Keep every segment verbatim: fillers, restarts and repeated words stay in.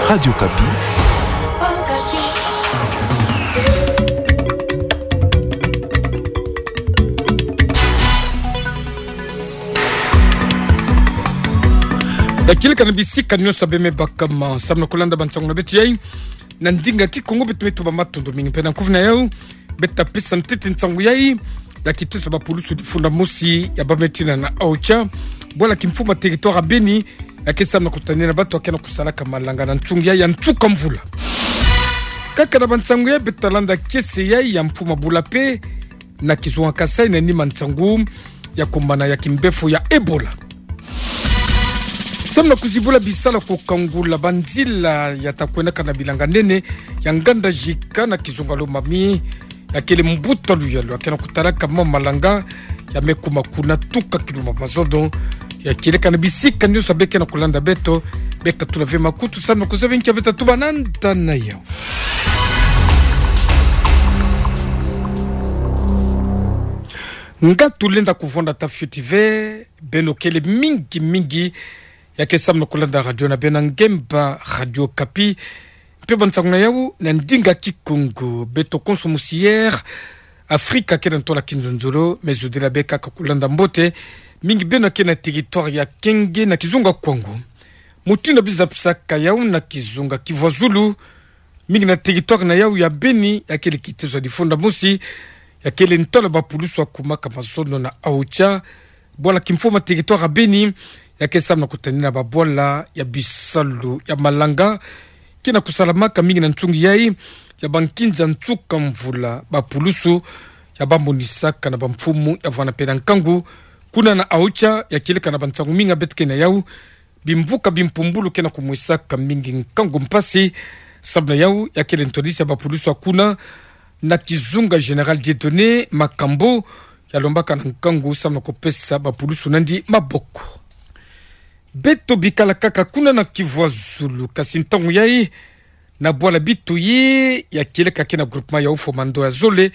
Radio Okapi. Ya kieleka na bisika nyonso bê me baka ma, samu na kulanda bansangu na beto yai na ndinga Kikongo. Beto me tuba matondo mingi mpe na nkufi na yau bê ta pesa ntete nsangu yai ya kitusa bapulusu difunda mosi ya bameti na AOCHA, bwala kimfumu ya territoire ya Beni, ya ke samu na kutanina bato ya ke na kusalaka malanga na nsunga yai ya nsuka mvula. Kaka na bansangu yai bê ta landa kiese yai ya mfumu ya bula mpe na kizunga Kasaï na nima nsangu ya kumbana ya kimbefo ya Ebola. Samu na kuzibula bisala kukangula banzila ya ta kwenaka na bilanga nene ya nganda jika na kizunga Lomami, ya kele mbuta luyalu ya ke na kutalaka mambu malanga ya me kuma kuna tuka kilumbu mazono. Ya kieleka na bisika nyonso bê ke na kulanda beto, bê ta tula ve makutu samu na kuzaba nki bê ta tuba na nda na yau. Nga tulenda kuvonda ta fioti ve, beno kele mingi mingi ya ke samu na kulanda radio na bê na ngemba Radio Okapi. Mpe bansangu na yau na ndinga Kikongo. Beto konso mosi Air Afrika ke na ntola kinzonzolo, me zodila bê kaka kulanda mbote mingi beno ya ke na territoire ya Kenge na kizunga Kwango. Mutindu biza pisaka yau na kizunga Kivuazulu, mingi na territoire na yau ya Beni, ya kele kitezo ya difunda mosi ya kele ntola bapulusu ya kumaka mazono na AOCHA, bwala kimfumu ya territoire ya Beni, ya ke samu na kutanina babwala ya bisalu ya malanga ke na kusalamaka mingi na nsunga yai ya bankinza nsuka mvula. Bapulusu ya bamonisaka na bamfumu ya vwanda mpe na nkangu kuna na AOCHA, ya kieleka na bansangu mingi beto ke na yau, bimvuka bimpumbulu ke na kumwisaka mingi nkangu mpasi. Samu na yau ya kele ntwadisi ya bapulusu ya kuna na kizunga Général Dieudonné Makambo, ya lombaka na nkangu samu na kupesa bapulusu nandi maboko. Beto bikala kaka kuna na Kivuazulu, kasi ntangu yai na bwala Bitoyi, ya kieleka ke na groupement ya Oufouer-Mando ya zole,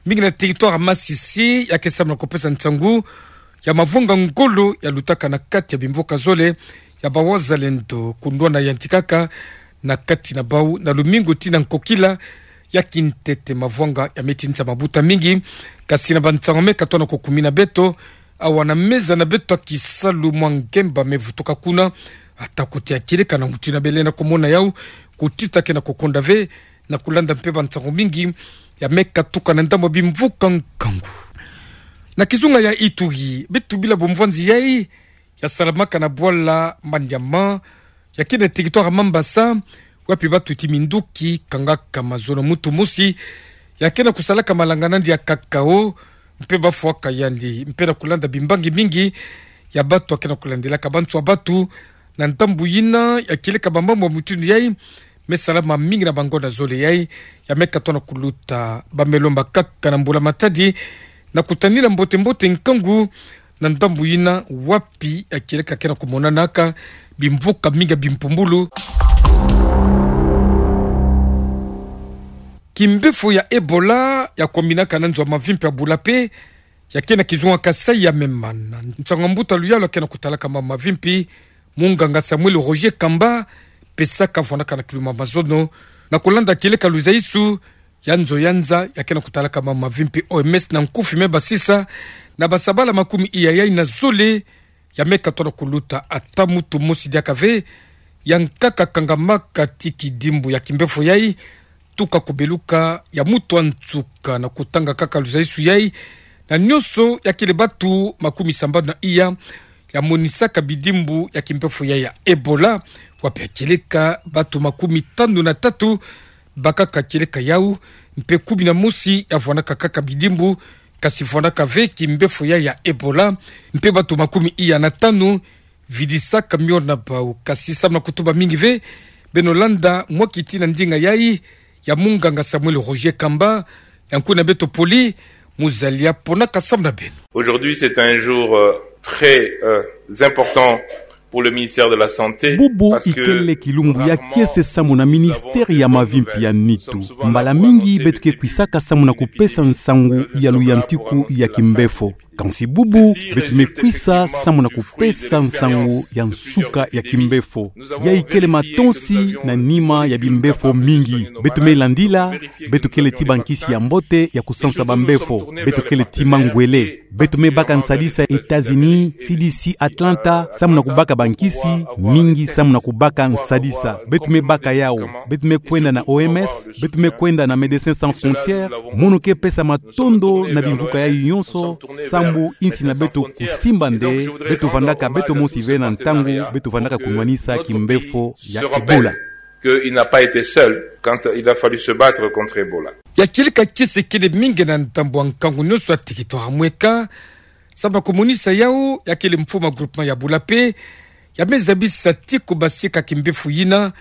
mingi na territoire ya Masisi, ya ke samu na kupesa nsangu ya mavwanga ngolo ya lutaka na kati ya bimvuka zole ya bawazalendo, kundwana yantikaka na kati na bau na lumingu tii na nkokila ya kintete. Mavwanga ya me tinisa mabuta mingi, kasi na bansangu me katono kukumina beto awa na meza na beto ya kisalu, mwa ngemba me vutuka kuna, ata kuti ya kieleka na mutindu bê lenda kumona yau, kutita ke na kukonda ve na kulanda mpe bansangu mingi ya me katuka na ndambu ya bimvuka nkangu. Na kizunga ya Ituri, beto bila bomvwanzi yai ya salamaka na bwala Maniama, ya ke na territoire ya Mambasa, wapi batuti minduki kangaka mazono. Mutu mosi ya ke na kusalaka malanga nandi ya cacao, mpe bafwaka yandi mpe na kulanda bimbangi mingi ya bato ya ke na kulandilaka bantu ya bato. Na ndambu yina ya kieleka bamambu ya mutindu yai me salama mingi na bangonda zole yai, ya me katono kuluta. Ba me lomba kaka na mbula matadi na kutanina mbote mbote nkangu na ndambu yina wapi ya kieleka ke na kumonanaka bimvuka mingi ya bimpumbulu. Kimbefo ya Ebola ya kuminaka na nzo ya mavimpi ya bula mpe ya ke na kizunga Kasaï ya me mana. Nsangu ya mbuta luyalu ya ke na kutalaka mambu mavimpi, munganga Samuel Roger Kamba, pesaka vwandaka na kilumbu mazono, na kulanda kieleka luzaisu ya nzo ya nza ya ke na kutalaka mambu mavimpi, O M S na nkufi, me basisa na basabala makumi iya yai na zole ya me katono kuluta ata mutu mosi diaka ve ya nkaka kangamaka ti kidimbu ya kimbefo yai, tuka kubeluka ya mutu ya nsuka. Na kutanga kaka luzaisu yai, na nyonso ya kele bato makumi sambanu na iya ya monisaka bidimbu ya kimbefo yai ya Ebola, wapi ya kieleka bato makumi tanu na tatu bakaka kieleka yau, mpe kumi na mosi ya vwandaka kaka bidimbu, kasi vwandaka ve kimbefo yai ya Ebola, mpe bato makumi iya na tanu vidisaka mio na bau. Kasi samu na kutuba mingi ve, beno landa mwa kiti na ndinga yai ya munganga Samuel Roger Kamba, ya nkuna beto Poli Muzalia, ponaka samu na beno. Aujourd'hui, c'est un jour, euh, très, euh, important pour le ministère de la Santé. Bubu ikele kilumbu ya kiese samu na ministère ya mavimpi ya nitu. Mbala mingi beto ke kwisaka samu na kupesa nsangu ya luyantiku ya kimbefo. Kansi bubu, beto me kwisa samu na kupesa nsangu ya nsuka ya kimbefo. Ya ikele matonsi na nima ya bimbefo mingi. Beto me landila, beto kele ti bankisi ya mbote ya kusansa bambefo. Beto kele ti mangwele. Beto me baka nsadisa États-Unis, C D C Atlanta, samu na kubaka bankisi mingi samu na kubaka nsadisa. Beto me baka yau. Beto me kwenda na O M S, beto me kwenda na Médecins Sans Frontières, mono ke pesa matondo na bimvuka yayi yonso, sambu insi na beto kusimba nde, beto vandaka beto mosi ve na ntangu beto vandaka kunwanisa kimbefo ya Ebola. Que il n'a pas été seul quand il a fallu se battre contre Ebola. Ya kieleka kiese kele mingi na ndambu ya nkangu nyonso ya territoire ya mweka, samu na kumonisa yau, ya kele mfumu ya groupement ya Bulape, ya me zabisa ti kubasika kimbefo yina,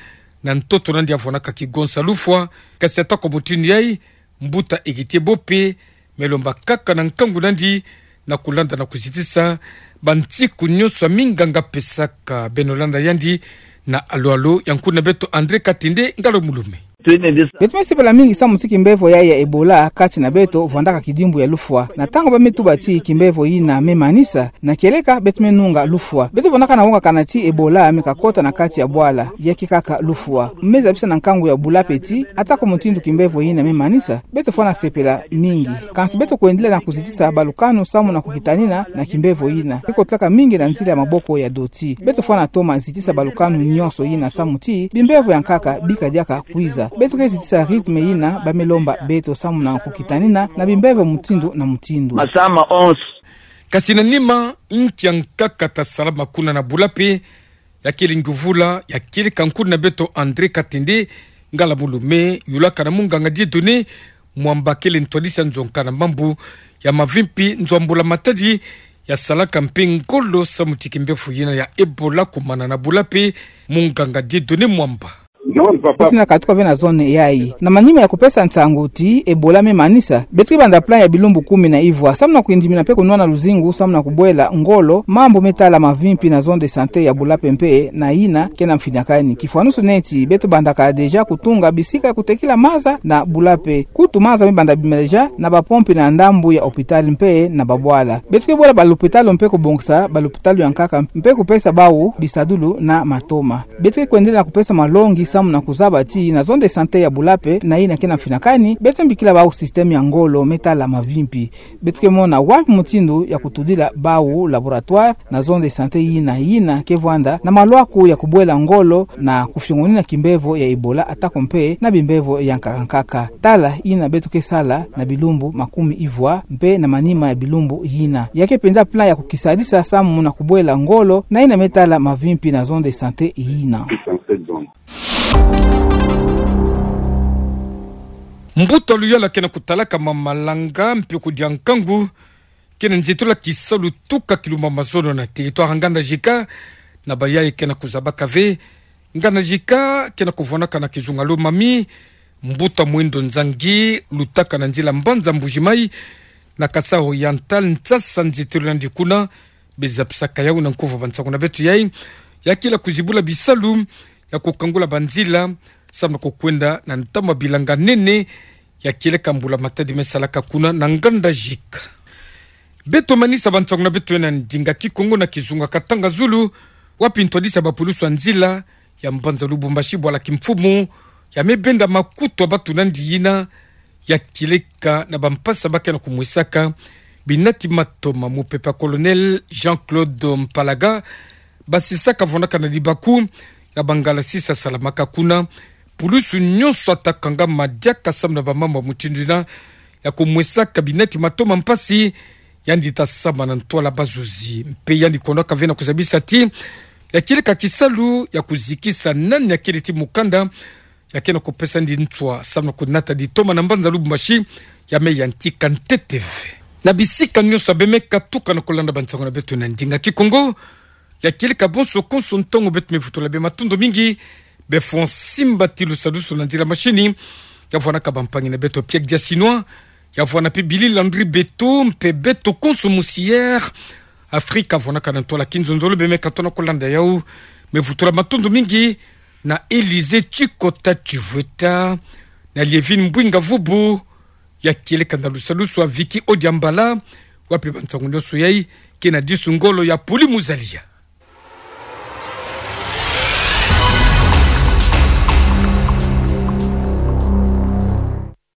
na ntoto nandi ya vwanaka kigonsa lufwa, kasi atako mutindu yayi, mbuta Heritier Bope, me lomba kaka na nkangu nandi, na kulanda na kuzitisa bantiku nyonso ya minganga pesaka beno landa yandi na alo-alo ya nkuna beto André Katende Ngalo Mulume. Beto me sepela mingi samu ti kimbefo yayi ya Ebola kati na beto vwandaka kidimbu ya lufwa. Na ntangu ba me tuba ti kimbefo yina me manisa, na kieleka beto me nunga lufwa. Beto vwanaka na wongakana ti Ebola me kakota na kati ya bwala, ya ke kaka lufwa. Me zabisa na nkangu ya Bulape ti, atako mutindu kimbefo yina me manisa, beto fwana sepela mingi. Kansi beto kwendila na kuzitisa balukanu samu na kukitanina na kimbefo yina. Ke kotelaka mingi na nzila ya maboko ya doti. Beto fwana toma zitisa balukanu nyonso yina samu ti, bimbefo ya nkaka bika diaka kwiza. Beto ke zitisa rythme yina ba me lomba beto samu na kukitanina na bimbefo mutindu na mutindu. Masama onze. Kasi na nima, nki ya nkaka ta salama kuna na Bulape, ya kele nguvula, ya kieleka nkuna beto André Katende Ngala Mulume, yulaka na munganga Dieudonné Mwamba kele ntwadisi ya nzo nkana mambu ya mavimpi, nzo ya mbula matadi, ya salaka mpe ngolo samu ti kimbefo yina ya Ebola kumana na Bulape, munganga Dieudonné Mwamba. Beto na katuka ve na zone yayi. Na manima ya kupesa nsangu ti Ebola me manisa, beto ke banda plan ya bilumbu kumi na ivwa, samu na kwindimina mpe kunwana luzingu, samu na kubwela ngolo mambu me tala mavimpi na zone de santé ya Bulape mpe na yina ke na mfinikani. Kifwanusu neti, beto bandaka déjà kutunga bisika ya kutekila maza na Bulape. Kutu maza me banda bima déjà na bapompi na ndambu ya hôpital mpe na babwala. Beto ke bwela balopitalo mpe kubongisa balopitalo ya nkaka mpe kupesa bau bisadulu na matoma. Beto ke kwendela na kupesa malongi samu na kuzaba ti na zone de santé ya Bulape na yina ke na mfinikani, beto mbikila bau système ya ngolo me tala mavimpi. Beto ke mona wapi mutindu ya kutudila bau laboratoire na zone de santé yina yina ke vwanda na malwaku ya kubwela ngolo na kufiongonina kimbefo ya Ebola atako mpe na bimbefo ya nkaka nkaka. Tala yina beto ke sala na bilumbu makumi ivwa mpe na manima ya bilumbu yina. Ya ke penza plan ya kukisadisa samu na kubwela ngolo na yina me tala mavimpi na zone de santé yina. Mbuta Luyala ke na kutalaka ma malanga mpe kudia nkangu, ke na nzietolo ya kisalu tuka kilumbu ya mazono na territoire ya Nganda Jika, na bayayi ke na kuzabaka ve Nganda Jika ke na kuvwanaka na kizunga Lomami, mbuta Mwendo Nzangi, lutaka na nzila mbanza Mbuji-Mayi, na Kasaï Oriental, nsasa nzietolo nandi kuna, be zabisaka yau na nkuvu ya bansangu na beto yayi, ya kele kuzibula bisalu, ya kukangula banzila, samu na kukwenda na ntama bilanga nene, ya kieleka mbula matadi me salaka kuna na Nganda Jika. Beto manisa bansangu na beto yayi na ndinga Kikongo na kizunga Katanga Zulu, wapi ntwadisi ya bapulusu ya nzila ya mbanza Lubumbashi bwala kimfumu, ya me benda makutu ya batu nandi yina, ya kieleka na bampasi ba ke na kumwesaka binati matoma. Mupepe ya Colonel Jean-Claude Mpalaga, basisaka vwanaka na libaku ya bangala sisa salamaka kuna, pulusu nyonso ata kangama diaka samu na bamambu ya mutindu yina, ya kumwesaka binati matoma mpasi, yandi ta sambana na ntwala bazuzi. Mpe yandi konaka ve na kuzabisa ti, ya kieleka kisalu ya kuzikisa nani ya kele ti mukanda, ya ke na kupesa nandi nswa samu na kunata ditoma na mbanza Lubumbashi, ya me yantika ntete ve. Na bisika nyonso ya be me katuka na kulanda bansangu na beto na ndinga Kikongo, ya kieleka bonso konso ntangu beto me vutula be matondo mingi, be fwa simba ti lusadusu na nzila mashini, ya vwanaka bampangi na beto Pierre Diasinois, ya vwana mpe Billy Landry Beto, mpe beto konso musière Afrika vwanaka na ntwala kinzonzolo be me katuka na kulanda yau, me vutula matondo mingi na Élysée Tshikota Tshivweta, na Lievine Mbwinga Vubu, ya kieleka na lusadusu ya Vicky Odiambala, Wapi ba nsangu nyoso yai? Kina disu ngolo ya puli muzalia.